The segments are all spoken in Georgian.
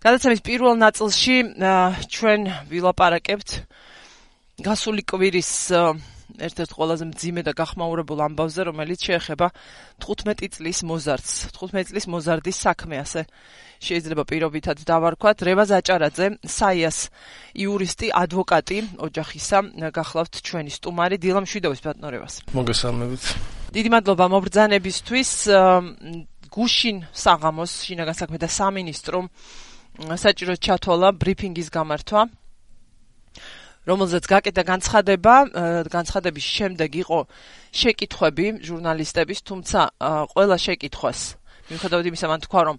გადაცემის პირველ ნაწილში ჩვენ ვილაპარაკებთ გასული კვირის ერთ-ერთ ყველაზე მძიმე და გახმაურებულ ამბავზე, რომელიც შეეხება 15 წლის მოზარდს. 15 წლის მოზარდის საქმე, ასე შეიძლება პირობითად დავარქვათ. რევაზ აჭარაძე, საიას იურისტი, ადვოკატი ოჯახისა, გახლავთ ჩვენი სტუმარი. დილა მშვიდობის ბატონო რევაზ. მოგესალმებით. დიდი მადლობა მობრძანებისთვის. გუშინ საღამოს შინაგან საქმეთა სამინისტრომ საჭიროდ ჩათვალა ბრიფინგის გამართვა, რომელზეც გაკეთა განცხადების შემდეგ იყო შეკითხვები ჟურნალისტების, თუმცა ყველა შეკითხვას, მიუხედავად იმისა, მან თქვა, რომ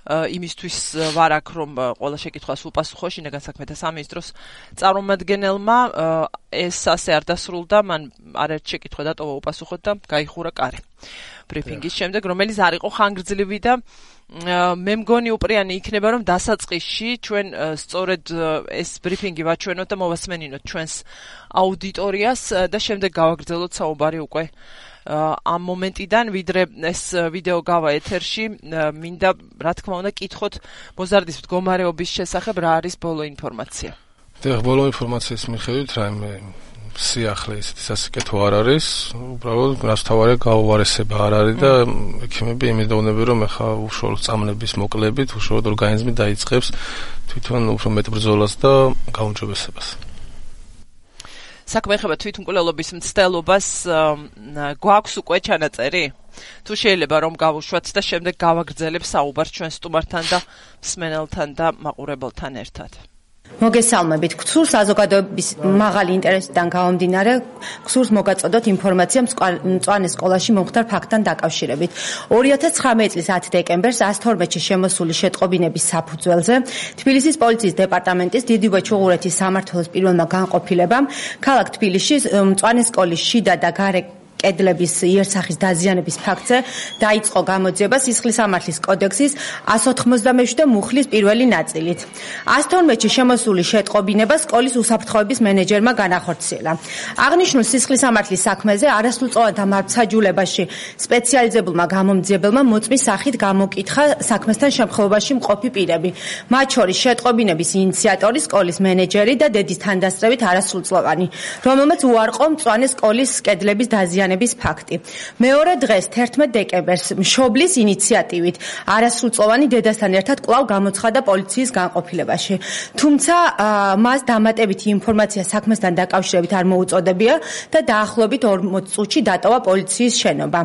იმისთვის ვარ აქ, რომ ყველა შეკითხვას უპასუხო შინაგან საქმეთა სამინისტროს წარმომადგენელმა, ეს ასე არ დასრულდა, მან არაერთ შეკითხვა დატოვა უპასუხოდ და გაიხურა კარი ბრიფინგის შემდეგ, რომელიც არ იყო ხანგრძლივი და მე მგონი უპრიანი იქნება, რომ დასაწყისში ჩვენ სწორედ ეს ბრიფინგი ვაჩვენოთ და მოვასმენინოთ ჩვენს აუდიტორიას და შემდეგ გავაგრძელოთ საუბარი უკვე ამ მომენტიდან, ვიდრე ეს ვიდეო გავა ეთერში, მინდა რა თქმა უნდა კითხოთ მოზარდის მდგომარეობის შესახებ რა არის ბოლო ინფორმაცია. ბოლო ინფორმაციის მიხედვით რაიმე სიახლე ისეთი სასიკეთო არ არის, უბრალოდ გასთავარია გაუვარესება არ არის და ექიმები იმედოვნები, რომ ახლა უშუალოდ წამლების მოკლებით უშუალოდ ორგანიზმი დაიწყებს თვითონ უფრო მეტ ბრძოლას და გაუმჯობესებას. საქმე ეხება თვითმკვლელობის მცდელობას, გვაქვს უკვე ჩანაწერი? თუ შეიძლება რომ გავუშვათ და შემდეგ გავაგრძელებ საუბარს ჩვენ სტუმართან და მსმენელთან და მაყურებელთან ერთად. მოგესალმებით. გსურს საზოგადოების მაღალი ინტერესიდან გამომდინარე, გსურს მოგაწოდოთ ინფორმაცია მწვანე სკოლაში მომხდარ ფაქტთან დაკავშირებით. 2019 წლის 10 დეკემბერს 112-ში შემოსული შეტყობინების საფუძველზე თბილისის პოლიციის დეპარტამენტის დიდი ვაჩუღურეთის სამმართველოს პირველმა განყოფილებამ ქალაქ თბილისში მწვანე სკოლის შიდა და გარე კედლების იერსახის დაზიანების ფაქტზე დაიწყო გამოძიება სისხლისამართლის კოდექსის 197 მუხლის პირველი ნაწილით. 112-ში შემოსული შეტყობინება სკოლის უსაფრთხოების მენეჯერმა განახორციელა. აღნიშნულ სისხლისამართლის საქმეზე არასრულწლოვანთა მართლმსაჯულებაში სპეციალიზებულმა გამომძიებელმა მოწმის სახით გამოკითხა საქმესთან შემთხვევაში მყოფი პირები, მათ შორის შეტყობინების ინიციატორი, სკოლის მენეჯერი და დედის თანდასწრებით არასრულწლოვანი, რომელმაც უარყო მწვანე სკოლის კედლების დაზიანების ფაქტი. მეორე დღეს 11 დეკემბერს მშობლის ინიციატივით არასრულწლოვანი დედასთან ერთად კვლავ გამოცხადა პოლიციის განყოფილებაში. თუმცა მას დამატებითი ინფორმაცია საქმესთან დაკავშირებით არ მოუწოდებია და დაახლოებით 40 წუთში დატოვა პოლიციის შენობა.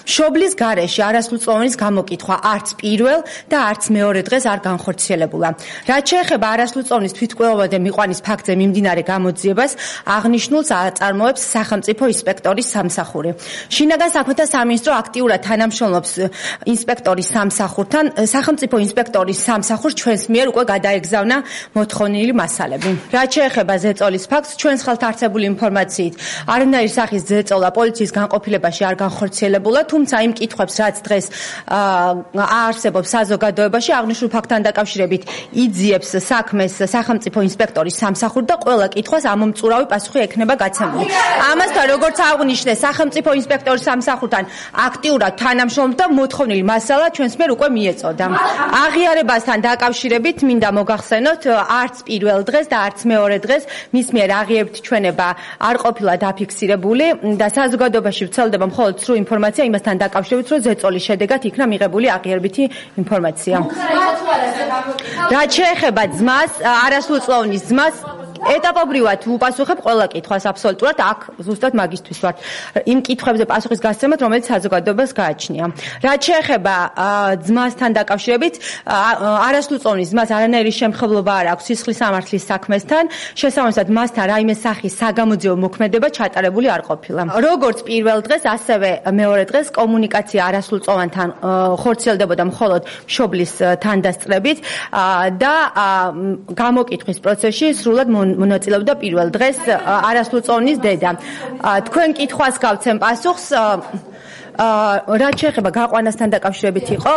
მშობლის გარეშე არასრულწლოვანის გამოკითხვა არც პირველ და არც მეორე დღეს არ განხორციელებულა. რაც შეეხება არასრულწლოვანის თვითმკვლელობამდე მიყვანის ფაქტზე მიმდინარე გამოძიებას, აღნიშნულს აწარმოებს სახელმწიფო ინსპექტორის სამსახური. შინაგან საქმეთა სამინისტრო აქტიურად თანამშრომლობს ინსპექტორის სამსახურთან. სახელმწიფო ინსპექტორის სამსახურს ჩვენს მიერ უკვე გადაეგზავნა მოთხოვნილი მასალები. რაც შეეხება ზეწოლის ფაქტს, ჩვენს ხელთ არსებული ინფორმაციით არანაირი სახის ზეწოლა პოლიციის განყოფილებაში არ განხორციელებულა, თუმცა იმ კითხვებს, რაც დღეს არსებობს საზოგადოებაში, აღნიშნულ ფაქტთან დაკავშირებით იძიებს საქმეს სახელმწიფო ინსპექტორის სამსახური და ყველა კითხვას ამომწურავი პასუხი ექნება გაცემული. ამასთან, როგორც აღნიშნეს, სახელმწიფო ინსპექტორის სამსახურთან აქტიურად თანამშრომლობს და მოთხოვნილი მასალა ჩვენს მიერ უკვე მიეწოდა. აღიარებასთან დაკავშირებით მინდა მოგახსენოთ, არც პირველ დღეს და არც მეორე დღეს მის მიერ აღიარებითი ჩვენება არ ყოფილა დაფიქსირებული და საზოგადოებაში ვრცელდება მხოლოდ სრულ ინფორმაცია იმასთან დაკავშირებით, რომ ზეწოლის შედეგად იქნა მიღებული აღიარებითი ინფორმაცია. რაც შეეხება ძმას, არასრულწლოვანის ძმას, ეტაპობრივად უპასუხებ ყველა კითხვას აბსოლუტურად, აქ ზუსტად მაგისთვის ვარ. იმ კითხვებზე პასუხის გასცემად, რომელიც საზოგადოებას გააჩნია. რაც შეეხება ძმასთან დაკავშირებით, არასრულწლოვანის ძმას არანაირი შემხებლობა არ აქვს სისხლისამართლის საქმესთან, შესაბამისად მასთან რაიმე სახის საგამოძიებო მოქმედება ჩატარებული არ ყოფილა. როგორც პირველ დღეს, ასევე მეორე დღეს კომუნიკაცია არასრულწლოვანთან ხორციელდებოდა მხოლოდ მშობლის თანდასწრებით და გამოკითხვის პროცესში სრულად მონაწილეობდა პირველ დღეს არასრულწლოვანის დედა. თქვენ კითხვას გავცემ პასუხს, რაც შეეხება გაყვანასთან დაკავშირებით იყო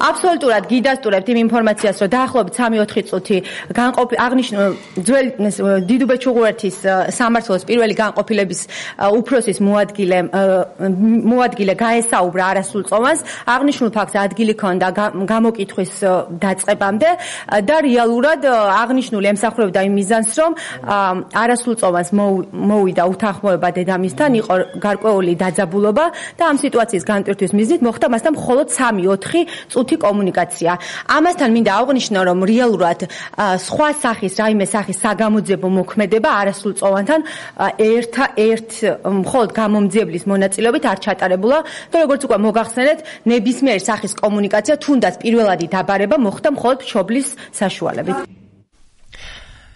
აბსოლუტურად გიდასტურებთ იმ ინფორმაციას, რომ დაახლოებით 3-4 წუთი აღნიშნულ ძველი დიდუბეჭუღურეთის სამმართველოს პირველი განყოფილების უფროსის მოადგილე გაესაუბრა არასრულწლოვანს, აღნიშნულ ფაქტს ადგილი ჰქონდა გამოკითხვის დაწყებამდე და რეალურად აღნიშნული ემსახურებდა იმ მიზანს, რომ არასრულწლოვანს მოვიდა უთანხმოება დედამისთან, იყო გარკვეული დაძაბულობა და ამ სიტუაციის განტვირთვის მიზნით მოხდა მასთან მხოლოდ 3-4 წუთი კომუნიკაცია. ამასთან მინდა აღვნიშნო, რომ რეალურად სხვა სახის, რაიმე სახის საგამოძიებო მოქმედება არასრულწლოვანთან მხოლოდ გამომძიებლის მონაწილეობით არ ჩატარებულა და როგორც უკვე მოგახსენეთ, ნებისმიერი სახის კომუნიკაცია, თუნდაც პირველადი დაბარება მოხდა მხოლოდ მშობლის საშუალებით.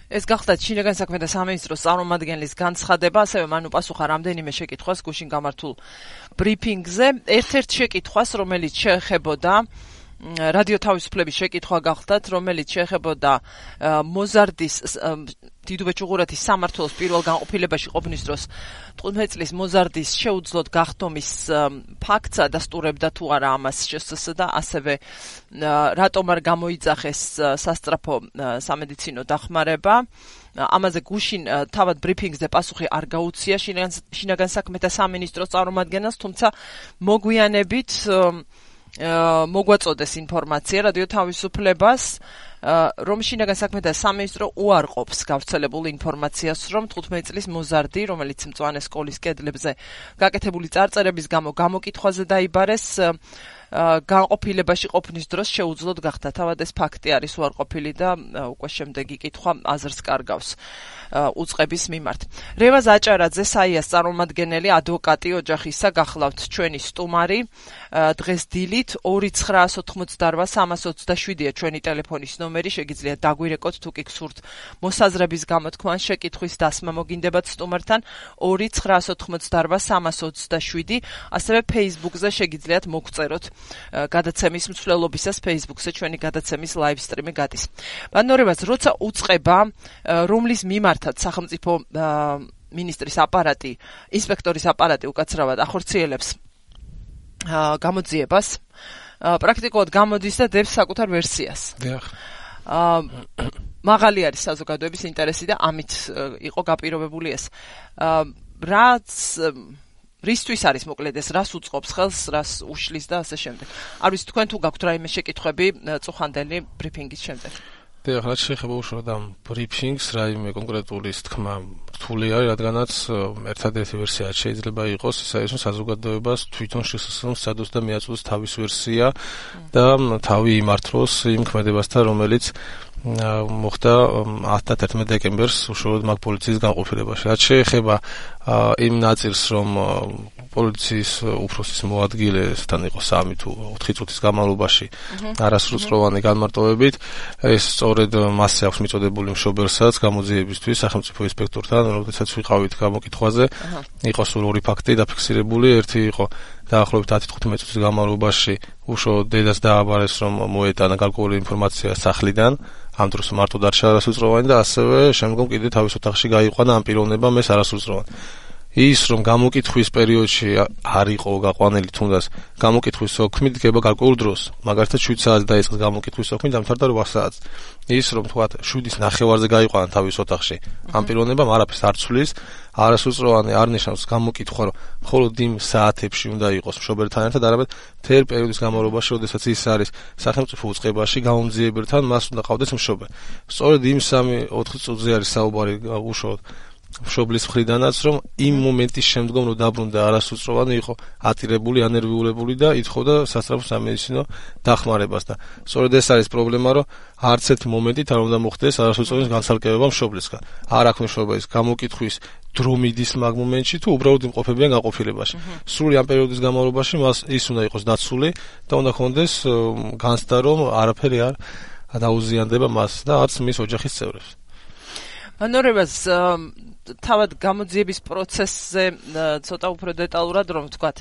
ეს გახდათ შინაგან საქმეთა სამინისტროს წარმომადგენლის განცხადება, ასევე მან უპასუხა რამდენიმე შეკითხვას გუშინ გამართულ ბრიფინგზე. ერთ-ერთ შეკითხვას, რომელიც შეეხებოდა რადიო თავისუფლების შეკითხვა გახდათ, რომელიც შეეხებოდა მოზარდის დიდუბეჭუღურეთის სამმართველოს პირველ განყოფილებაში ყოფნის დროს 15 წლის მოზარდის შეუძლოდ გახდომის ფაქტს ადასტურებდა თუ არა ამას ჟსს და ასევე რატომ არ გამოიძახეს სასწრაფო სამედიცინო დახმარება. ამაზე გუშინ თავად ბრიფინგზე პასუხი არ გაუცია შინაგან საქმეთა სამინისტროს წარმომადგენელს, თუმცა მოგვიანებით მოგვაწოდეს ინფორმაცია რადიო თავისუფლებას, რომ შინაგან საქმეთა სამინისტრო უარყოფს გავრცელებულ ინფორმაციას, რომ 15 წლის მოზარდი, რომელიც მწვანე სკოლის კედლებზე გაკეთებული წარწერების გამო გამოკითხვაზე დაიბარეს, განყოფილებაში ყოფნის დროს შეუძლოდ გახდა. თავად ეს ფაქტი არის უარყოფილი და უკვე შემდეგი კითხვა აზრს კარგავს უწყების მიმართ. რევაზ აჭარაძე, საიას წარმომადგენელი ადვოკატი ოჯახისა, გახლავთ ჩვენი სტუმარი. დღეს დილით 2988327-ია ჩვენი ტელეფონის ნომერი, შეგიძლიათ დაგვირეკოთ თუ კი გსურთ მოსაზრების გამოთქმა ან შეკითხვის დასმა მოგინდებათ სტუმართან 2988327, ასევე Facebook-ზე შეგიძლიათ მოგწეროთ გადაცემის მსვლელობისას. Facebook-ზე ჩვენი გადაცემის live stream-ი გადის. ბანორებას როცა უწყება, რომლის მიმართაც სახელმწიფო მინისტრის აპარატი, ინსპექტორის აპარატი უკაცრავად ახორციელებს გამოძიებას, პრაქტიკულად გამოდის და დებს საკუთარ ვერსიას. მაღალი არის საზოგადოების ინტერესი და ამით იყო გაპირობებული ეს. რისთვის არის მოკლედ ეს, რას უწყობს ხელს, რას უშლის და ასე შემდეგ. არ ვიცი თქვენ თუ გაქვთ რაიმე შეკითხვები წუხანდელი ბრიფინგის შემდეგ. რაც შეეხება უშუალოდ ამ ბრიფინგს, რაიმე კონკრეტული თქმა რთული არის, რადგანაც ერთადერთი ვერსია შეიძლება იყოს ის არის, რომ საზოგადოებას თვითონ შესაძლოა სადოს და მიაწოდოს თავის ვერსია და თავი იმართლოს იმ ქმედებასთან, რომელიც მოხდა 11 დეკემბერს უშუალოდ მაგ პოლიციის განყოფილებაში. რაც შეეხება იმ ნაწილს, რომ პოლიციის უფროსის მოადგილესთან იყო 3 თუ 4 წუთის განმავლობაში არასრულწლოვანი განმარტოვებით, ეს სწორედ მასზე აქვს მიწოდებული მშობელსაც გამოძიებისთვის სახელმწიფო ინსპექტორთან, როდესაც ვიყავით გამოკითხვაზე, იყო სულ 2 ფაქტი დაფიქსირებული, ერთი იყო დაახლოებით 10-15 წუთის განმავლობაში უშუალოდ დედას დააბარეს, რომ მოეტანა გარკვეული ინფორმაცია სახლიდან, ამ დროს მარტო დარჩა არასრულწლოვანი და ასევე შემდგომ კიდე თავის ოთახში გაიყვანა ამ პიროვნებამ ეს არასრულწლოვანი. ის რომ გამოკითხვის პერიოდში არ იყო გაყვანილი, თუნდაც გამოკითხვის ოქმი დგება გარკვეულ დროს, მაგალითად 7 საათს დაიწყეს გამოკითხვის ოქმი, დამთავრდა 8 საათს. ის რომ თქვა 7:09 გაიყვანა თავის ოთახში, ამ პიროვნებამ არაფერს არ ცვლის, არასრულწლოვანი არ ნიშნავს გამოკითხვა, რომ მხოლოდ იმ საათებში უნდა იყოს მშობელთან ერთად, არამედ მთელ პერიოდის განმავლობაში, როდესაც ის არის სახელმწიფო უწყებაში გამომძიებელთან, მას უნდა ყავდეს მშობელი. სწორედ იმ 3-4 წუთზე არის საუბარი უშუალოდ მშობლის მხრიდანაც, რომ იმ მომენტის შემდგომ რომ დაბრუნდა არასრულწლოვანი იყო ატირებული, ანერვიულებული და ითხოვდა სასწრაფო სამედიცინო დახმარებას და სწორედ ეს არის პრობლემა, რომ არც ერთი მომენტით არ უნდა მოხდეს არასრულწლოვანის განცალკევება მშობლისგან. არ აქვს მშობლის გამოკითხვის დრო მიდის მაგ მომენტში თუ უბრალოდ იმყოფებიან განყოფილებაში. სრული ამ პერიოდის განმავლობაში მას ის უნდა იყოს დაცული და უნდა ქონდეს განცდა, რომ არაფერი არ დაუზიანდება მას და არც მის ოჯახის წევრებს. ბანორებას თავად გამოძიების პროცესზე ცოტა უფრო დეტალურად რომ ვთქვათ,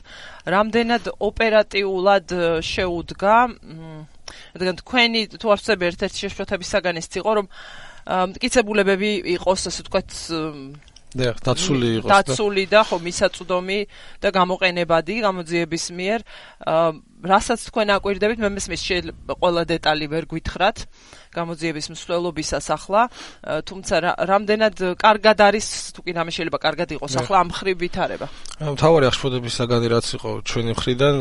რამდენად ოპერატიულად შეუდგა, რადგან თქვენი თუ არ ვცდები ერთ-ერთი შეშფოთების საგანიც იყო, რომ მტკიცებულებები იყოს, ასე ვთქვათ, დაცული და ხო მისაწვდომი და გამოყენებადი გამოძიების მიერ რასაც თქვენ აკვირდებით მე მესმის ყველა დეტალი ვერ გითხრათ გამოძიების მსვლელობისას ახლა თუმცა რამდენად კარგად არის თუ კი რამე შეიძლება კარგად იყოს ახლა ამ ხრივ ვითარება მთავარი აღშფოთების საგანი რაც იყო ჩვენი მხრიდან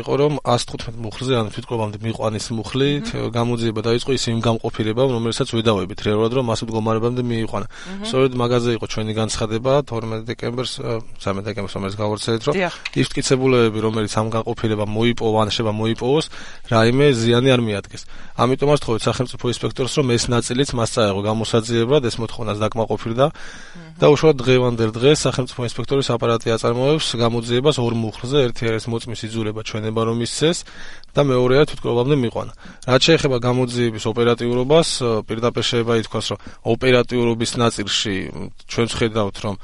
იყო რომ 115 მუხლზე ანუ თვითკროვამდე მიყვანის მუხლით გამოძიება დაიწყო ის იმ გამყოფილებამ რომელსაც ვედავებით რეალურად რომ მას მდგომარეობამდე მიიყვანა სწორედ მაგაზე იყო ჩვენი განცხადება 12 დეკემბერს 13 დეკემბერს რომელიც გავავრცელეთ რომ ის მტკიცებულებები რომელიც ამ განყოფილებამ მოიპოვა ან შეიძლება მოიპოვოს რაიმე ზიანი არ მიადგეს ამიტომაც თხოვეთ სახელმწიფო ინსპექტორს რომ ეს ნაწილიც მას წაეღო გამოსაძიებლად ეს მოთხოვნას დაკმაყოფილდა და უშუალოდ დღევანდელ დღეს სახელმწიფო ინსპექტორის აპარატი აწარმოებს გამოძიებას ორ მუხლზე ერთი არის მოწმის იძულება ჩვენება რომ ისცეს და მეორეა თვითკროვამდე მიყვანა რაც შეეხება გამოძიების ოპერატიურობას პირდაპირ შეიძლება ითქვას რომ ოპერატიურობის ნაწილში ჩვენ ვხედავთ რომ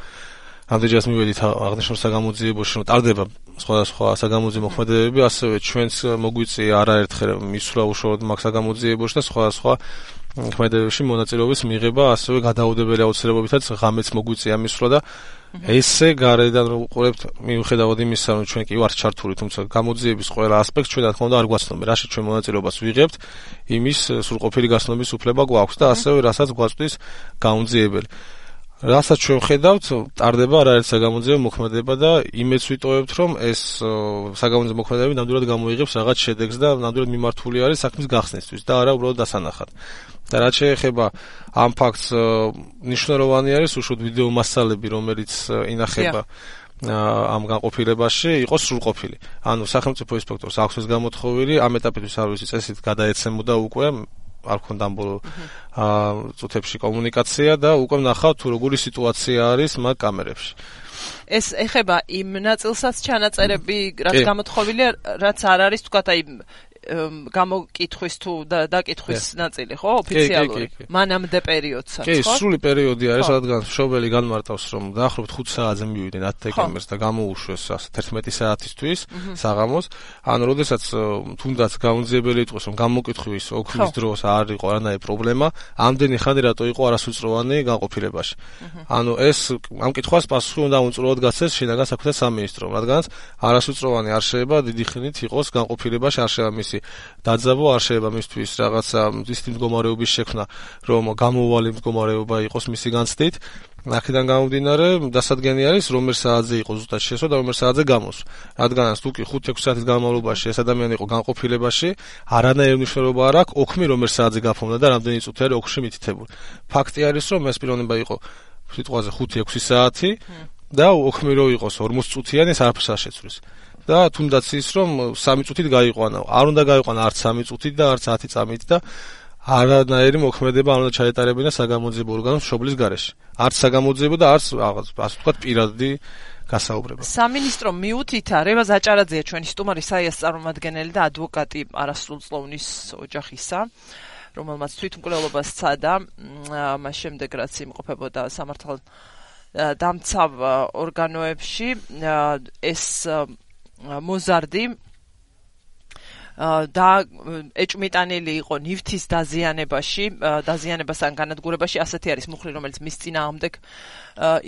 ამდენჯერაც მივედით აღნიშნულ საგამოძიებაში რომ ტარდება სხვადასხვა საგამოძიებო მოქმედებები ასევე ჩვენს მოგვიწია არაერთხელ მისვლა უშუალოდ მაგ საგამოძიებაში და სხვადასხვა მოქმედებებში მონაწილეობის მიღება ასევე გადაუდებელი აუცილებლობითაც ღამეც მოგვიწია მისვლა და ესე გარედან რომ უყურებთ მიუხედავად იმისა რომ ჩვენ კი ვართ ჩართული თუმცა გამოძიების ყველა ასპექტს ჩვენ რა თქმა უნდა არ გვაცნობთ რაში ჩვენ მონაწილეობას ვიღებთ იმის სრულყოფილი გაცნობის უფლება გვაქვს და ასევე რასაც გვაწვდის გამომძიებელი რასაც ჩვენ ხედავთ, ტარდება არაერთ საგამოძიებო მოქმედება და იმედს ვიტოვებთ, რომ ეს საგამოძიებო მოქმედებები ნამდვილად გამოიღებს რაღაც შედეგს და ნამდვილად მიმართული არის საქმის გახსნისთვის და არა უბრალოდ დასანახად. და რაც შეეხება ამ ფაქტს, მნიშვნელოვანი არის უშუალოდ ვიდეო მასალები, რომელიც ინახება ამ განყოფილებაში იყოს სრულყოფილი. ანუ სახელმწიფო ინსპექტორს აქვს ეს გამოთხოვილი, ამ ეტაპისთვის არ ვიცი წესით გადაეცემოდა უკვე არ ქონდა ამ ბოლო წუთებში კომუნიკაცია და უკვე ნახავთ თუ როგორი სიტუაცია არის მაგ კამერებში. ეს ეხება იმ ნაწილსაც ჩანაწერები, რაც გამოთხოვილია, რაც არ არის თქვათ აი გამოკითხვის თუ დაკითხვის ნაწილი, ხო, ოფიციალური. მანამდე პერიოდსაც, ხო? კი, სრული პერიოდი არის, რადგან მშობელი განმარტავს, რომ დაახლოებით 5 საათზე მივიდნენ 10 დეკემბერს და გამოუშვეს 11 საათისთვის საღამოს. ანუ როდესაც თუნდაც გამომძიებელი იტყვის, რომ გამოკითხვის ოქმის დროს არ იყო არანაირი პრობლემა, ამდენი ხანი რატო იყო არასრულწლოვანი განყოფილებაში. ანუ ეს ამ კითხვას პასუხი უნდა უწურულოდ გაცეს შინაგან საქმეთა სამინისტრომ, რადგან არასრულწლოვანი არ შეიძლება დიდი ხნით იყოს განყოფილებაში, არ შეიძლება მისი დაძაბვა, არ შეიძლება მისთვის რაღაცა ისეთი მდგომარეობის შექმნა, რომ გამოუვალი მდგომარეობა იყოს მისი განცდით. აქედან გამომდინარე, დასადგენი არის, რომელ საათზე იყო ზუსტად შესვა და რომელ საათზე გამოსვა. რადგან თუ კი 5-6 საათის განმავლობაში ეს ადამიანი იყო განყოფილებაში, არანაირი მნიშვნელობა არ აქვს, ოქმი რომელ საათზე გაფორმდა და რამდენი წუთი არის ოქში მითითებული. ფაქტი არის, რომ ეს პიროვნება იყო სიტყვაზე 5-6 საათი და ოქმი რო იყოს 40 წუთიანი, ეს არაფერს არ შეცვლის. და თუნდაც ის რომ 3 წუთით გაიყვანა. არ უნდა გაიყვანა არც 3 წუთით და არც 10 წამით და არანაირი მოქმედება არ უნდა ჩაეტარებინა საგამოძიებო ორგანოს მშობლის გარეშე. არც საგამოძიებო და არც რაღაც ასე ვთქვათ პირადი გასაუბრება. სამინისტრო მიუთითა რევაზ აჭარაძეა ჩვენი სტუმარი საიას წარმომადგენელი და ადვოკატი არასრულწლოვნის ოჯახისა, რომელმაც თვითმკვლელობა სცადა მას შემდეგ რაც იმყოფებოდა სამართალ დამცავ ორგანოებში ეს მოზარდი და ეჭვმიტანილი იყო ნივთის დაზიანებასთან განადგურებაში ასეთი არის მუხლი რომელიც მის წინააღმდეგ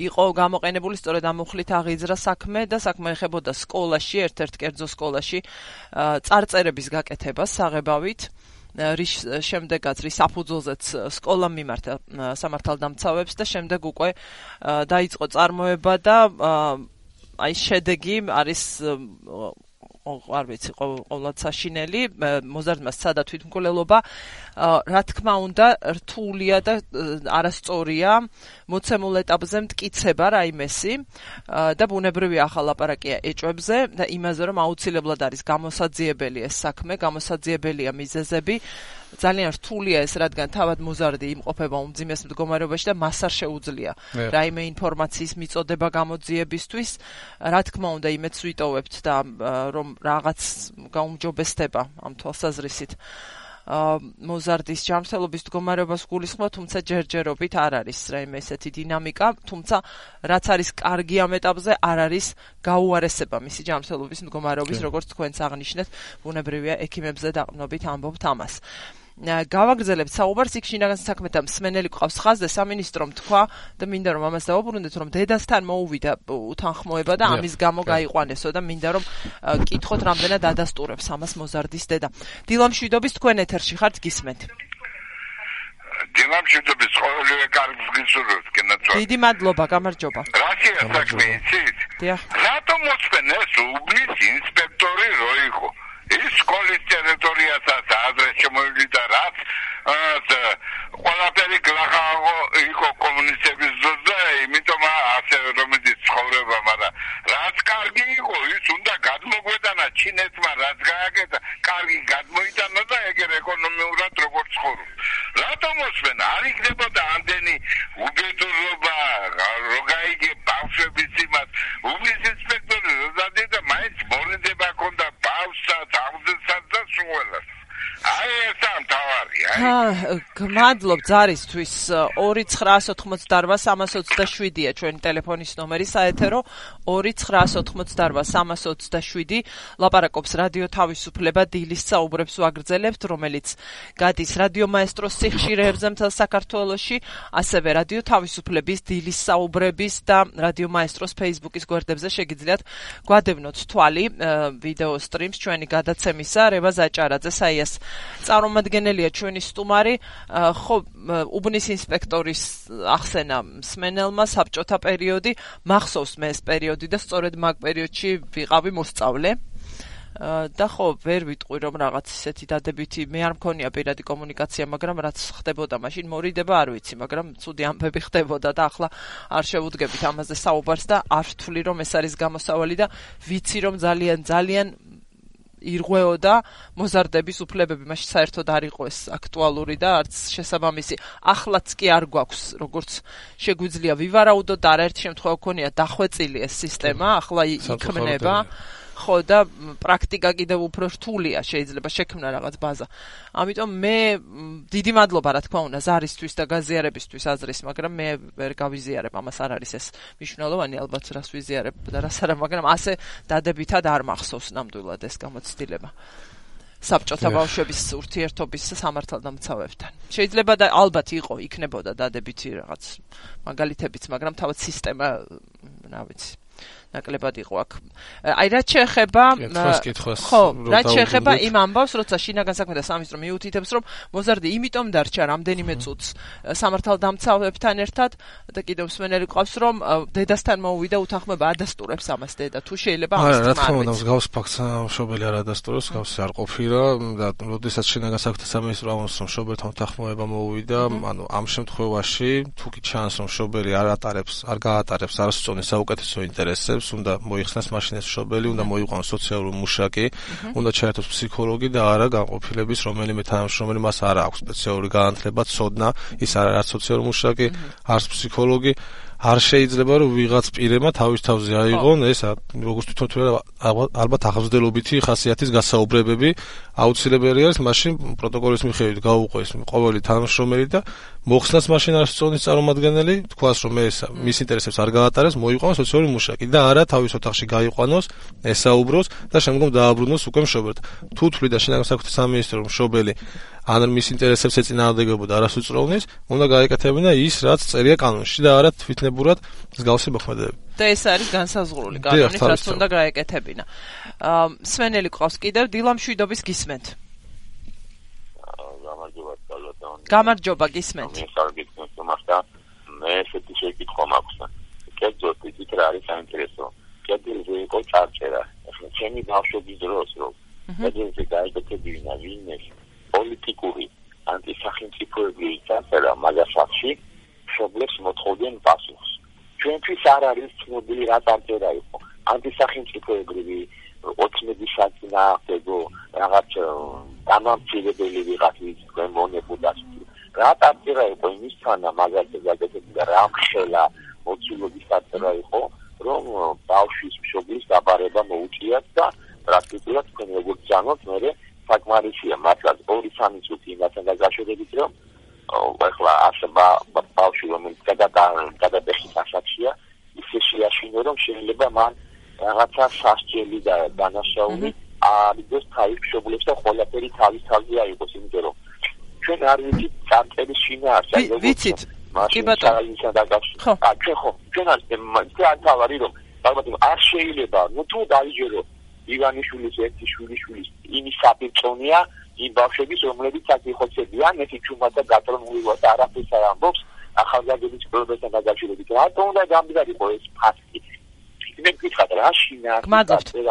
იყო გამოყენებული სწორედ ამ მუხლით აღიძრა საქმე და საქმე ეხებოდა სკოლაში ერთ-ერთ კერძო სკოლაში წარწერების გაკეთებას საღებავით რის შემდეგაც რის საფუძველზეც სკოლამ მიმართა სამართალდამცავებს და შემდეგ უკვე დაიწყო წარმოება და აი შედეგი არის არ ვიცი ყოვლად საშინელი მოზარდმა სცადა თვითმკვლელობა რა თქმა უნდა რთულია და არასწორია მოცემულ ეტაპზე მტკიცება რაიმესი და ბუნებრივი ახალ ლაპარაკია ეჭვებზე და იმაზე რომ აუცილებლად არის გამოსაძიებელი ეს საქმე გამოსაძიებელია მიზეზები ძალიან რთულია ეს რადგან თავად მოზარდი იმყოფება უმძიმეს მდგომარეობაში და მას არ შეუძლია რაიმე ინფორმაციის მიწოდება გამოძიებისთვის რა თქმა უნდა იმედს ვიტოვებთ და რომ რაღაც გაუმჯობესდება ამ თვალსაზრისით მოზარდის ჯანმრთელობის მდგომარეობას გულისხმობ, თუმცა ჯერჯერობით არ არის რაიმე ესეთი დინამიკა, თუმცა რაც არის კარგი ამ ეტაპზე არ არის გაუარესება მისი ჯანმრთელობის მდგომარეობის, როგორც თქვენც აღნიშნეთ, ბუნებრივია ექიმებზე დაყრდნობით ამბობთ ამას. გავაგრძელებთ საუბარს იქ შინაგან საქმეთა მსმენელი ყავს ხაზზე სამინისტრომ თქვა და მინდა რომ ამას დავუბრუნდეთ რომ დედასთან მოუვიდა უთანხმოება და ამის გამო გაიყვანესო და მინდა რომ კითხოთ რამდენად ადასტურებს ამას მოზარდის დედა. დილა მშვიდობის თქვენ ეთერში ხართ გისმენთ. დილა მშვიდობის ყოველივე კარგს გისურვებთ კენაცვა. დიდი მადლობა, გამარჯობა. რაშია საქმე იცით? რატომ მოწმენეს უბნის ინსპექტორი რო იყო? ის სკოლის ტერიტორიასაც ადრე შემოვიდა რაც ყველაფერი გლახავო იყო კომუნისტების დროს და იმიტომ ასე რომელიც ცხოვრება, მაგრამ რაც კარგი იყო ის უნდა გადმოგვეტანა ჩინეთმა რაც გააკეთა, კარგი გადმოიტანა და ეგერ ეკონომიურად როგორც ცხოვრობს. რატომ მოსმენა? არ იქნებოდა ამდენი უბედურობა, რო გაიგე ბავშვების იმას, უბნის ინსპექტორი როდადი და მაინც მორიდება ქონდა ბავშვსა, თავზესაც და სულელას. აი ეს ამთავარია. გმადლობ ზარისთვის 2988-327-ია ჩვენი ტელეფონის ნომერი საეთერო 2988-327 ლაპარაკობს რადიო თავისუფლება დილის საუბრებს ვაგრძელებთ რომელიც გადის რადიო მაესტროს სიხშირეებზე მთელ საქართველოში ასევე რადიო თავისუფლების დილის საუბრების და რადიო მაესტროს Facebook-ის გვერდებზე შეგიძლიათ გვადევნოთ თვალი ვიდეო სტრიმს ჩვენი გადაცემისა რება ზაჭარაძე საიას წარმომადგენელია ჩვენი სტუმარი ხო უბნის ინსპექტორის ახსენა მსმენელმა საბჭოთა პერიოდი მახსოვს მე ეს პერიოდი და სწორედ მაგ პერიოდში ვიყავი მოსწავლე და ხო ვერ ვიტყვი რომ რაღაც ისეთი დადებითი მე არ მქონია პირადი კომუნიკაცია მაგრამ რაც ხდებოდა მაშინ მორიდება არ ვიცი მაგრამ ცუდი ამბები ხდებოდა და ახლა არ შევუდგებით ამაზე საუბარს და არ ვთვლი რომ ეს არის გამოსავალი და ვიცი რომ ძალიან ირღვეოდა მოზარდების უფლებები მაშინ საერთოდ არ იყო ეს აქტუალური და არც შესაბამისი ახლაც კი არ გვაქვს როგორც შეგვიძლია ვივარაუდოთ და არაერთ შემთხვევა გქონია დახვეწილი ეს სისტემა ახლა იქმნება ხო და პრაქტიკა კიდევ უფრო რთულია შეიძლება შექმნა რაღაც ბაზა ამიტომ მე დიდი მადლობა რა თქმა უნდა ზარისთვის და გაზიარებისთვის აზრის მაგრამ მე ვერ გავიზიარებ ამას არ არის ეს მნიშვნელოვანი ალბათ რას ვიზიარებ და რას არა მაგრამ ასე დადებითად არ მახსოვს ნამდვილად ეს გამოცდილება საბჭოთა ბავშვების ურთიერთობის სამართალდამცავებთან შეიძლება და ალბათ იქნებოდა დადებითი რაღაც მაგალითებიც მაგრამ თავად სისტემა რა ვიცი ნაკლებად იყო აქ. აი რაც შეეხება ხო, რაც შეეხება იმ ამბავს, როცა შინაგან საქმეთა სამინისტრო მიუთითებს, რომ მოზარდი იმიტომ დარჩა რამდენიმე წუთს სამართალდამცავებთან ერთად და კიდევ მსმენელი ყავს, რომ დედასთან მოუვიდა უთანხმოება ადასტურებს ამას დედა. თუ შეიძლება ამას რა თქმა უნდა, მსგავს ფაქტს მშობელი არ ადასტურებს, მსგავსი არ ყოფილა და როდესაც შინაგან საქმეთა სამინისტრო ამბობს, რომ მშობელთან უთანხმოება მოუვიდა, ანუ ამ შემთხვევაში თუ კი ჩანს, რომ მშობელი არ გაატარებს არასწორ საუკეთესო ინტერესებს უნდა მოიხსნას მაშინ ეს მშობელი, უნდა მოიყვანოს სოციალური მუშაკი, უნდა ჩაერთოს ფსიქოლოგი და არა განყოფილების რომელიმე თანამშრომელი მას არ აქვს სპეციალური განათლება, ცოდნა, ის არ არის სოციალური მუშაკი, არც ფსიქოლოგი. არ შეიძლება რომ ვიღაც პირებმა თავის თავზე აიღონ ეს როგორც თვითონ თუ ალბათ ახალგაზრდობითი ხასიათის გასაუბრებები აუცილებელი არის მაშინ პროტოკოლის მიხედვით გაუყვეს ყოველი თანამშრომელი და მოხსნას მაშინ არასწორნის წარმომადგენელი თქვას რომ ეს მის ინტერესებს არ გაატარებს მოიყვანოს სოციალური მუშაკი და არა თავის ოთახში გაიყვანოს ესაუბროს და შემდგომ დააბრუნოს უკვე მშობელთ თუ თვლიდა შინაგან საქმეთა სამინისტრო მშობელი ან მის ინტერესებს ეწინააღმდეგებოდა არასწორნის უნდა გაეკეთებინა ის რაც წერია კანონში და არა თვითნებურად მსგავსი მოქმედებები და ეს არის განსაზღვრული კანონით რაც უნდა გაეკეთებინა მსმენელი ყავს კიდევ დილა მშვიდობის გისმენთ გამარჯობა გისმენთ მე ესეთი შეკითხვა მაქვს კერძოდ ისიც რა არის საინტერესო კერძოდ იყო წარწერა ახლა ჩემი ბავშვობის დროს რომ კერძოდ გაიგეთებინა ვინმე პოლიტიკური ანტისახელმწიფოებრივი წარწერა მაგასახში მშობლებს მოთხოვდნენ პასუხს ჩვენთვის არ არის ცნობილი რა წარწერა იყო ანტისახელმწიფოებრივი ოცნების საწინააღმდეგო რაღაც დამამცირებელი ვიღაცის თქვენ მონებოდა რა წარწერა იყო იმისთან მაგალითად გაგეთებდა რა ხელა მოცულობის წარწერა იყო რომ ბავშვის მშობლის დაბარება მოუწიათ და პრაქტიკულად თქვენ როგორც জানოთ მე საკმარისია მართლაც 2-3 წუთი იმასთან დაგაშორებით რომ ახლა ასება ბავშვი რომელიც გადადეხის ასაკშია ისე შეაშინო რომ შეიძლება მან რაღაცა სასჯელი და დანაშაული აიღოს თავის მშობლებს და ყველაფერი თავის თავზე აიღოს იმიტომ რომ ჩვენ არ ვიცით წარწერის შინაარსი. ვიცით. კი ბატონო. ჩვენ არ თავარი რომ ალბათ არ შეიძლება თუ დაიჯერო ივანიშვილის ერთი შვილიშვილის იმის საპირწონეა იმ ბავშვების რომლებიც აკიხოცებიან ერთი ჩუმათა გაწრონული ვარ და არაფერს არ ამბობს ახალგაზრდების პრობლემასთან დაკავშირებით. რატომ უნდა გამდგარიყო ეს ფაქტი? მე ვკითხავ რა შინაარსი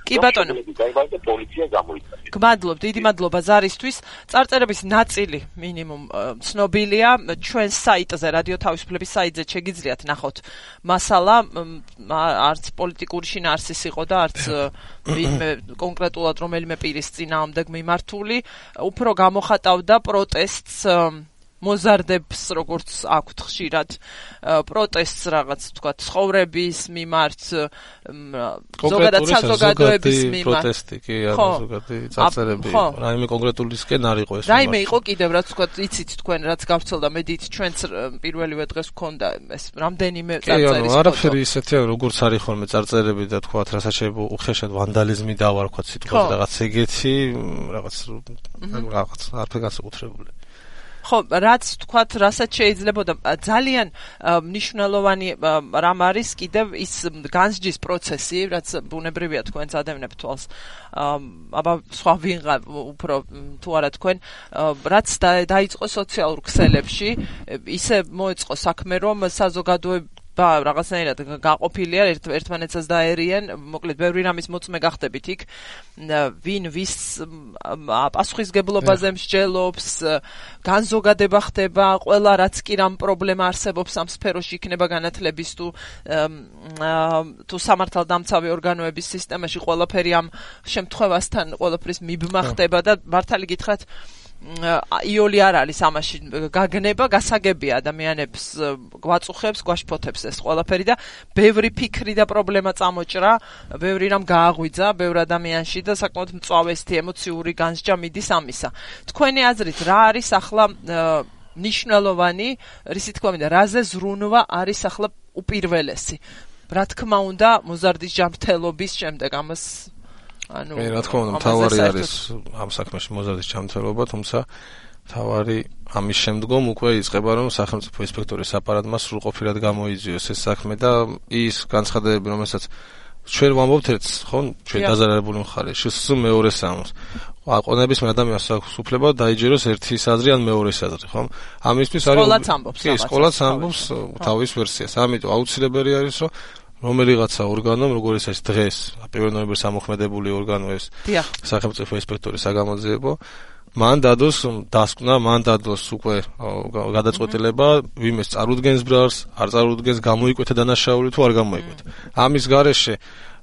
კი ბატონო დაიბადა პოლიცია გამოიწვია. გმადლობ, დიდი მადლობა ზარისთვის. წარწერების ნაწილი მინიმუმ ცნობილია ჩვენ საიტზე, რადიო თავისუფლების საიტზე შეგიძლიათ ნახოთ მასალა, არც პოლიტიკური შინაარსის იყო და არც კონკრეტულად რომელიმე პირის წინააღმდეგ მიმართული, უფრო გამოხატავდა პროტესტს მოზარდებს როგორც აქვთ ხშირად პროტესტს რაღაც თქვა ცხოვრების მიმართ ზოგადად საზოგადოების მიმართ პროტესტი კი არა ზოგადი წარწერები რაიმე კონკრეტულისკენ არ იყო ეს რაიმე იყო კიდევ რაც თქვა იცით თქვენ რაც გავრცელდა მედიით ჩვენც პირველივე დღეს გქონდა ეს რამდენიმე წარწერის ფოტო არაფერი ისეთია როგორც არის ხოლმე წარწერები და თქვა რასაც შეიძლება უხეშად ვანდალიზმი დავარქვათ სიტყვაზე რაღაც ეგეთი რაღაც არაფერი განსაკუთრებული ხო, რაც თქვათ, რასაც შეიძლება ძალიან მნიშვნელოვანი რამ არის კიდევ ის განსჯის პროცესი, რაც ბუნებრივია თქვენ წადევნებთ თვალს. აბა სხვა ვინღა უფრო თუ არა თქვენ, რაც დაიწყო სოციალურ ქსელებში, ისე მოეწყო საქმე, რომ საზოგადოება რაღაცნაირად გაყოფილია ერთმანეთსაც დაერიან, მოკლედ ბევრი რამის მოწმე გახდებით იქ, ვინ ვის პასუხისგებლობაზე მსჯელობს, განზოგადება ხდება, ყველა რაც კი რამ პრობლემა არსებობს ამ სფეროში იქნება განათლების თუ სამართალდამცავი ორგანოების სისტემაში ყველაფერი ამ შემთხვევასთან ყველაფრის მიბმა ხდება და მართალი გითხრათ იოლი არ არის ამაში გაგნება, გასაგებია ადამიანებს გვაწუხებს, გვაშფოთებს ეს ყველაფერი და ბევრი ფიქრი და პრობლემა წამოჭრა, ბევრი რამ გააღვიძა ბევრ ადამიანში და საკმაოდ მწვავესეთი ემოციური განსჯა მიდის ამისა. თქვენი აზრით რა არის ახლა მნიშვნელოვანი, რისი თქმა მინდა, რაზე ზრუნვა არის ახლა უპირველესი? რა თქმა უნდა, მოზარდის ჯანმრთელობის შემდეგ ამას რა თქმა უნდა, მთავარი არის ამ საქმეში მოზარდის ჯანმრთელობა, თუმცა მთავარი ამის შემდგომ უკვე იწყება რომ სახელმწიფო ინსპექტორის აპარატმა სრულყოფილად გამოიძიოს ეს საქმე და ის განცხადებები, რომელსაც ჩვენ ვამბობთ ერთს, ხო, ჩვენ დაზარალებული მხარე, შესულ მეორეს ამბობს. აყონების ადამიანს აქვს უფლება დაიჯეროს ერთის აზრი ან მეორის აზრი, ხო? ამისთვის არის სკოლაც ამბობს, სკოლაც ამბობს თავის ვერსიას. ამიტომ აუცილებელი არის რომ რომელიღაცა ორგანომ, როგორც ეს დღეს, 1 ნოემბერს ამოქმედებული ორგანო ეს სახელმწიფო ინსპექტორის საგამოძიებო, მან დადოს დასკვნა, მან დადოს უკვე გადაწყვეტილება, ვინმეს წარუდგენს ბრალს, არ წარუდგენს, გამოიკვეთა დანაშაული თუ არ გამოიკვეთა. ამის გარეშე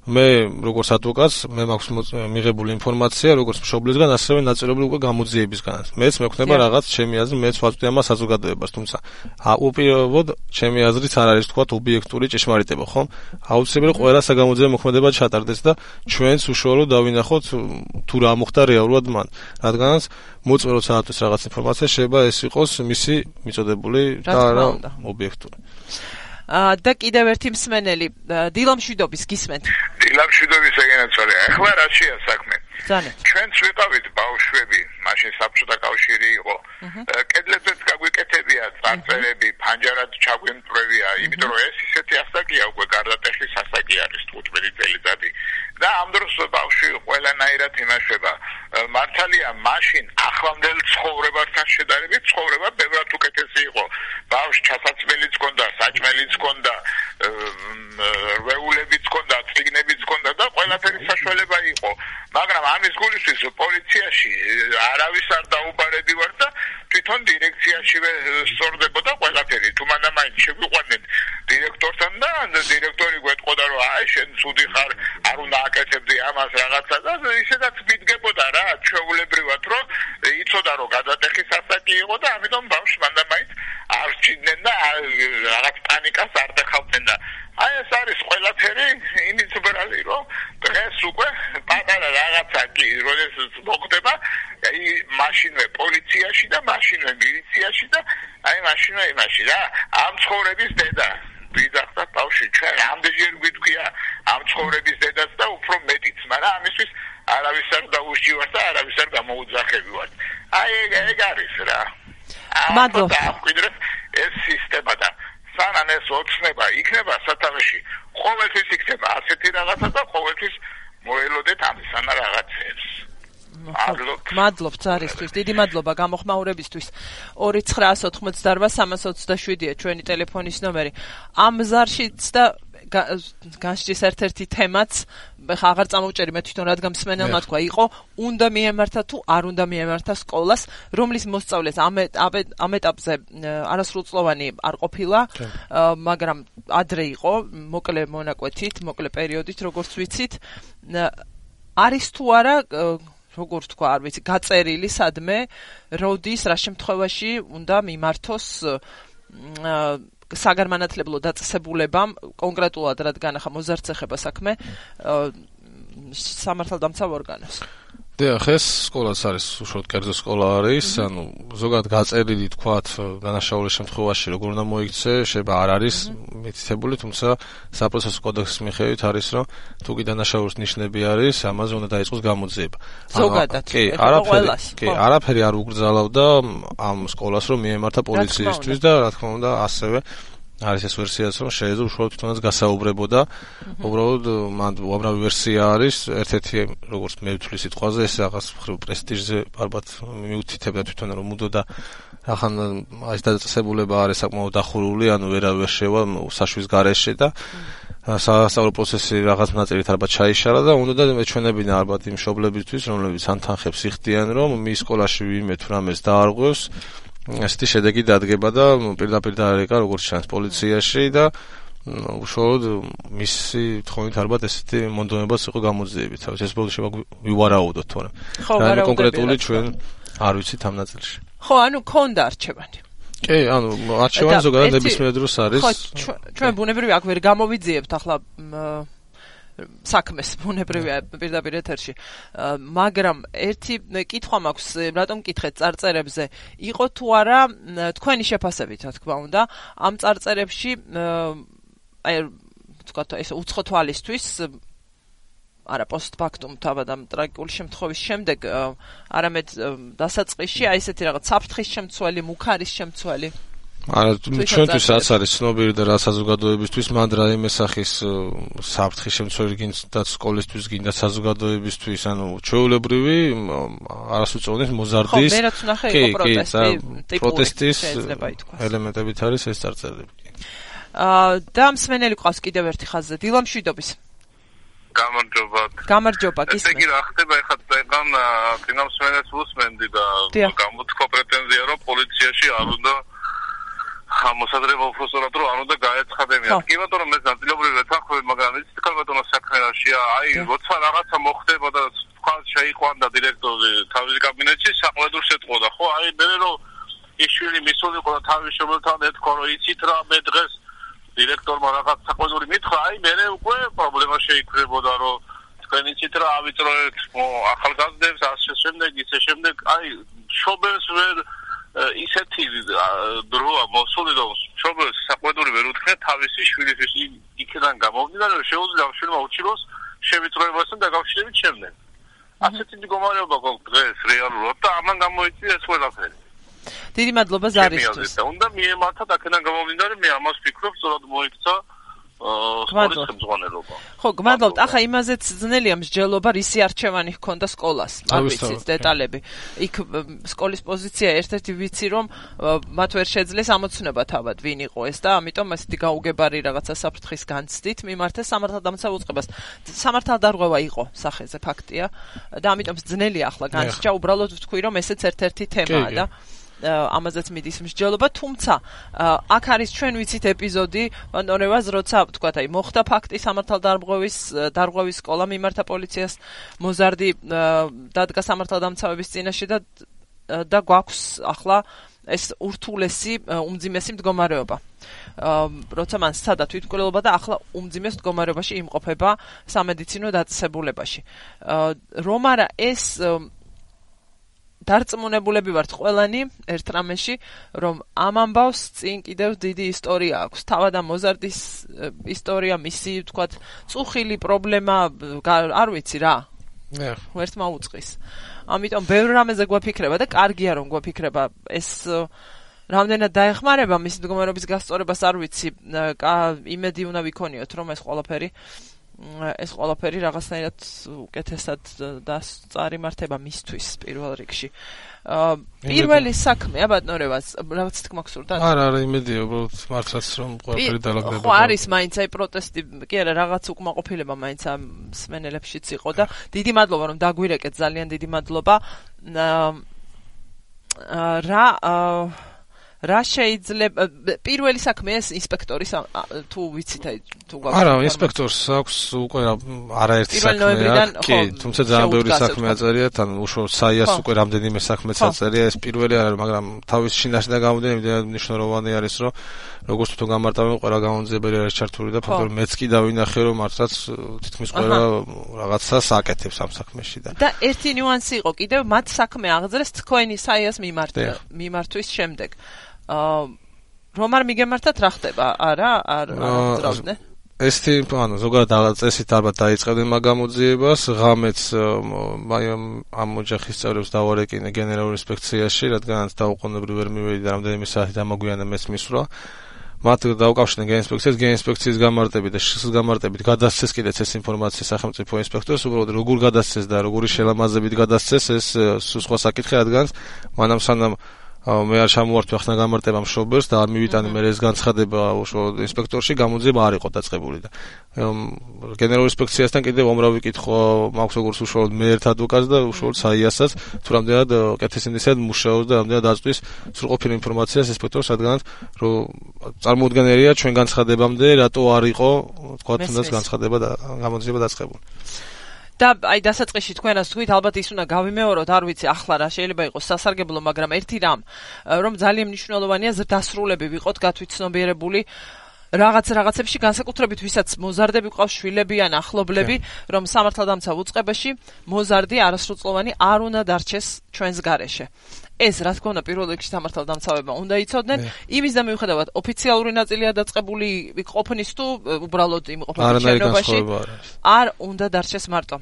მე როგორც ადვოკატს მე მაქვს მიღებული ინფორმაცია როგორც მშობლისგან ასევე ნაწილობრივ უკვე გამოძიებისგანაც მეც მექნება რაღაც ჩემი აზრი მეც ვაწვდი ამას საზოგადოებას თუმცა უპირობოდ ჩემი აზრით არ არის თქვა ობიექტური ჭეშმარიტება ხომ აუცილებელი ყველა საგამოძიებო მოქმედება ჩატარდეს და ჩვენც უშუალოდ დავინახოთ თუ რა მოხდა რეალურად მან რადგანაც მოწმე როცა ატვის რაღაც ინფორმაცია შეიძლება ეს იყოს მისი მიწოდებული და არა ობიექტური და კიდევ ერთი მსმენელი დილამშვიდობის გისმენთ დილამშვიდობის ეგენაცოლე ახლა რაშია საქმე ჩვენც ვიყავით ბავშვები მაშინ საბჭოთა კავშირი იყო კედლებზეც გაგვიკეთებია წარწერები ფანჯარად ჩაგვიმტვრევია იმიტომ რომ ეს ისეთი ასაკია უკვე გარდატეხის ასაკი არის 15 წელიწადი და ამ დროს ბავშვი ყველანაირად იმაშება მართალია მაშინ ახლანდელ ცხოვრებასთან შედარებით ცხოვრება ბევრად უკეთესი იყო ბავშვს ჩასაცმელიც ჰქონდა საჭმელიც ჰქონდა რვეულებიც ჰქონდა წიგნებიც ჰქონდა და ყველაფერი საშუალება იყო მაგრამ ამის გულისთვის პოლიციაში არავის არ დაუბარებივარ და თვითონ დირექციაშივე სწორდებოდა ყველაფერი თუ მანამაინც შეგვიყვანენ დირექტორთან და დირექტორი გვეტყოდა რომ აი შენ ცუდი ხარ არ უნდა აკეთებდი ამას რაღაცა და ისედაც მიდგებოდა რა ჩვეულებრივად რომ იცოდა რომ გადატეხის ასაკი იყო და ამიტომ ბავშვს მანამაინც არ სჭირდნენ და რაღაც პანიკას არ დახავდნენ და აი ეს არის ყველაფერი იმის უბრალი რომ დღეს უკვე პატარა რაღაცა კი როდესაც მოხდება აი მაშინვე პოლიციაში და მაშინვე მილიციაში და აი მაშინვე იმაში რა ამ ცხოვრების დედა ვიძახდა ბავშვი ჩვენ ამდენჯერ გვიტყვია ამ ცხოვრების დედაც და უფრო მეტიც მაგრამ ამისთვის არავის არ დაუშჯივართ და არავის არ გამოუძახებივართ ეგ არის რა. მადლობა. ეს სისტემა და სანამ ეს ოცნება იქნება სათავეში, ყოველთვის იქნება ასეთი რაღაცა და ყოველთვის მოელოდეთ ამისანა რაღაცებს. მადლობთ ზარისთვის, დიდი მადლობა გამოხმაურებისთვის. 2988327-ია ჩვენი ტელეფონის ნომერი. ამ ზარშიც და განსჯის ერთ-ერთი თემაც, ხა აღარ წამოვჭერი მე თვითონ რადგან მსმენელმა თქვა, იყო უნდა მიემართა თუ არ უნდა მიემართა სკოლას, რომლის მოსწავლეს ამ ეტაპზე არასრულწლოვანი არ ყოფილა, მაგრამ ადრე იყო, მოკლე მონაკვეთით, მოკლე პერიოდით, როგორც ვიცით, არის თუ არა როგორც თქვა, არ ვიცი, გაწერილი სადმე, როდის, რა შემთხვევაში უნდა მიმართოს საგანმანათლებლო დაწესებულებამ, კონკრეტულად რადგან ახლა მოზარდს ეხება საქმე, სამართალდამცავ ორგანოს. დიახ, ეს სკოლაც არის, უშუალოდ კერძო სკოლა არის, ანუ ზოგადად გაწერილი თქვათ, დანაშაულის შემთხვევაში როგორ უნდა მოიქცე, შეიძლება არ არის მითითებული, თუმცა საპროცესო კოდექსის მიხედვით არის, რომ თუ კი დანაშაულის ნიშნები არის, ამაზე უნდა დაიწყოს გამოძიება. ზოგადად, არაფერი არ უგრძალავდა ამ სკოლას, რომ მიემართა პოლიციისთვის და რა თქმა უნდა, ასევე არის ეს ვერსიაც, რომ შეიძლება უშუალოდ თვითონაც გასაუბრებოდა. უბრალოდ მან უამრავი ვერსია არის, ერთ-ერთი როგორც მე ვთვლი სიტყვაზე, ეს რაღაც პრესტიჟზე ალბათ მიუთითებდა თვითონ რომ მუდოდა ახან ეს დაწესებულება არის საკმაოდ დახურული, ანუ ვერავერ შევა საშვის გარეშე და სასწავლო პროცესი რაღაც ნაწილით ალბათ ჩაიშალა და უნდა მეჩვენებინა ალბათ იმ მშობლებისთვის, რომლებიც ანთანხებს იხდიან, რომ მის სკოლაში ვინმე თუ რამეს დაარღვევს, ესეთი შედეგი დადგება და პირდაპირ დაერეკა როგორც ჩანს პოლიციაში და უშუალოდ მისი თხოვნით ალბათ ესეთი მონდომებაც იყო გამოძიები. თავის ეს ბოლოს ვივარაუდოთ თორემ. რა კონკრეტული ჩვენ არ ვიცით ამ ნაწილში. ხო, ანუ ქონდა არჩევანი. კი, ანუ არჩევანი ზოგადად ნებისმიერ დროს არის. ხო, ჩვენ ბუნებრივი აქ ვერ გამოვიძიებთ ახლა საქმეს ბუნებრივია პირდაპირ ეთერში. მაგრამ ერთი კითხვა მაქვს, რატომ მკითხეთ წარწერებზე, იყო თუ არა თქვენი შეფასებით, რა თქმა უნდა, ამ წარწერებში აი თქვა ეს უცხო თვალისთვის არა პოსტფაქტუმ თავად ამ ტრაგიკული შემთხვევის შემდეგ არამედ დასაწყისში აი ესეთი რაღაც საფრთხის შემცველი, მუქარის შემცველი არა, ჩვენთვის რაც არის ცნობილი და რა საზოგადოებისთვის, მან რაიმე სახის საფრთხის შემცველი გინდა სკოლისთვის, გინდა საზოგადოებისთვის, ანუ ჩვეულებრივი არასრულწლოვანი მოზარდის პროტესტის ელემენტებით არის ეს წარწერები. და მსმენელი ყავს კიდევ ერთი ხაზზე, დილა მშვიდობის. გამარჯობა, გისმენთ. ესე იგი რა ხდება ეხლა წეგან წინამსმენელს უსმენდი და გამოთქვა პრეტენზია, რომ პოლიციაში არ უნდა მოსადრეობა უფროსურად რომ არ უნდა გაეცხადებინა. კი ბატონო, მე ნაწილობრივ ვეთანხმები, მაგრამ იცით ხარ ბატონო საქმეშია, აი როცა რაღაცა მოხდება და თქვა შეიყვანდა დირექტორი თავის კაბინეტში, საყლედურს ეთყოდა, ხო? აი მე რომ ის შვილი მისულიყო და თავის შობელთან ეთქვა, რომ იცით რა მე დღეს დირექტორმა რაღაც საყლედური მითხრა, აი მე უკვე პრობლემა შეიქმნებოდა, რომ თქვენ იცით რა ავიწროეთ ახალგაზრდებს, ასე შემდეგ, ისე შემდეგ, აი შობელს ვერ ისეთი დროა მოსული რომ შობელს საყვედური ვერ უთხრა თავისი შვილისთვის იქიდან გამოვიდა რომ შეუძლია შვილმა უჩინოს შევიწროებასთან დაკავშირებით შემდეგ. ასეთი მდგომარეობა გვაქვს დღეს რეალურად და ამან გამოიწვია ეს ყველაფერი. დიდი მადლობა ზარისთვის. უნდა მიემართა აქედან გამოვიდა რომ მე ამას ვფიქრობ, სწორად მოიქცა სკოლის ხელმძღვანელობა. ხო, გმადლობთ. ახლა იმაზეც ძნელია მსჯელობა, რისი არჩევანი ჰქონდა სკოლას. არ ვიცით დეტალები. იქ სკოლის პოზიცია ერთ-ერთი ვიცი რომ მათ ვერ შეძლეს ამოცნობა თავად ვინ იყო ეს და ამიტომ ასეთი გაუგებარი რაღაცა საფრთხის განცდით მიმართეს სამართალდამცავ უწყებას. სამართალდარღვევა იყო სახეზე ფაქტია და ამიტომ ძნელია ახლა განსჯა, უბრალოდ ვთქვი რომ ესეც ერთ-ერთი თემაა და ამაზეც მიდის მსჯელობა, თუმცა აქ არის ჩვენ ვიცით ეპიზოდი ბატონევას, როცა ვთქვათ, აი მოხდა ფაქტი სამართალდარღვევის სკოლა მიმართა პოლიციას, მოზარდი დადგა სამართალდამცავების წინაშე და გვაქვს ახლა ეს ურთულესი, უმძიმესი მდგომარეობა. როცა მან სცადა თვითმკვლელობა და ახლა უმძიმეს მდგომარეობაში იმყოფება სამედიცინო დაწესებულებაში. რომ არა ეს დარწმუნებულები ვართ ყველანი ერთ რამეში, რომ ამ ამბავს წინ კიდევ დიდი ისტორია აქვს. თავად ამ მოზარდის ისტორია, მისი, ვთქვათ, წუხილი პრობლემა, არ ვიცი რა. ვერც მაუწყის. ამიტომ ბევრ რამეზე გვაფიქრება და კარგია რომ გვაფიქრება ეს რამდენად დაეხმარება მისი მდგომარეობის გასწორებას არ ვიცი. იმედი უნდა ვიქონიოთ რომ ეს ყველაფერი რაღაცნაირად უკეთესად წარიმართება მისთვის პირველ რიგში. პირველი საქმე ბატონებას რაღაც თქმა გსურდა? არა, იმედია უბრალოდ მართლაც რომ ყველაფერი დაალაგდება. ხო არის მაინც აი პროტესტი, კი არა რაღაც უკმაყოფილება მაინც ამ სმენელებშიც იყო და დიდი მადლობა რომ დაგვირეკეთ, ძალიან დიდი მადლობა. რა შეიძლება პირველი საქმე ეს ინსპექტორის თუ ვიცით აი თუ გაქვს არა ინსპექტორს აქვს უკვე არაერთი საქმე კი თუმცა ძალიან ბევრი საქმე აწერია თან უშუალოდ საიას უკვე რამდენიმე საქმეც აწერია ეს პირველი არა მაგრამ თავის შინაშინა გამოდენები მნიშვნელოვანი არის რომ როგორც თუ გამარტავენ ყველა გამონძიებელი არის ჩართული და ფაქტობრივად მეც კი დავინახე რომ მართლაც თითქმის ყველა რაღაცას აკეთებს ამ საქმეში და ერთი ნიუანსი იყო კიდევ მათ საქმე აღძრეს თქვენი საიას მიმართვის შემდეგ რომ არ მიგემართათ რა ხდება? არა, არ აღძრავდნენ. ეს ანუ ზოგადად წესით ალბათ დაიწყებდნენ მაგ გამოძიებას, ღამეც ამ ოჯახის წევრებს დავარეკინე გენერალურ ინსპექციაში, რადგანაც დაუყოვნებლივ ვერ მივედი და რამდენიმე საათი დამოგვიანა მეც მისვლა. მათ დაუკავშირდნენ გენინსპექციის გამარტებით და შხის გამარტებით გადასცეს კიდეც ეს ინფორმაცია სახელმწიფო ინსპექტორს, უბრალოდ როგორ გადასცეს და როგორი შელამაზებით გადასცეს ეს სხვა საკითხი, რადგანაც მანამ სანამ მე არ ჩამოვართვი ახლა გამარტება მშობელს და არ მივიტანე მე ეს განცხადება უშუალოდ ინსპექტორში გამოძიება არ იყო დაწყებული და გენერალურ ინსპექციასთან კიდევ უამრავი კითხვა მაქვს როგორც უშუალოდ მე ერთ ადვოკატს და უშუალოდ საიასაც თუ რამდენად კეთილსინდისად მუშაობს და რამდენად აწვის სრულყოფილ ინფორმაციას ინსპექტორს რადგანაც რომ წარმოუდგენელია ჩვენ განცხადებამდე რატო არ იყო თქვა თუნდაც განცხადება და გამოძიება დაწყებული და აი დასაწყისში თქვენ რას თქვით ალბათ ის უნდა გავიმეოროთ არ ვიცი ახლა რა შეიძლება იყოს სასარგებლო მაგრამ ერთი რომ ძალიან მნიშვნელოვანია დასრულები ვიყოთ გათვითცნობიერებული რაღაცებში განსაკუთრებით ვისაც მოზარდები ყავს შვილები ან ახლობლები რომ სამართალდამცავ უწყებაში მოზარდი არასრულწლოვანი არ უნდა დარჩეს ჩვენს გარეშე ეს რა თქმა უნდა პირველ რიგში სამართალდამცავებმა უნდა იცოდნენ იმის და მიუხედავად ოფიციალური ნაწილია დაწყებული ყოფნის თუ უბრალოდ იმყოფება შენობაში არ უნდა დარჩეს მარტო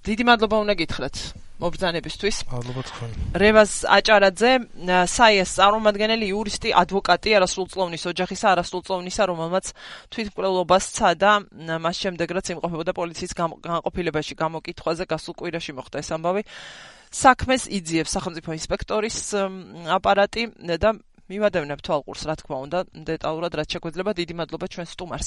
დიდი მადლობა უნდა გითხრათ მობრძანებისთვის მადლობა თქვენ რევაზ აჭარაძე საიას წარმომადგენელი იურისტი ადვოკატი არასრულწლოვნის ოჯახისა არასრულწლოვნისა რომელმაც თვითმკვლელობას სცადა მას შემდეგ რაც იმყოფებოდა პოლიციის განყოფილებაში გამოკითხვაზე გასულ კვირაში მოხდა ეს ამბავი საქმეს იძიებს სახელმწიფო ინსპექტორის აპარატი და მივადევნებ თვალყურს რა თქმა უნდა დეტალურად რაც შეგვეძლება დიდი მადლობა ჩვენ სტუმარს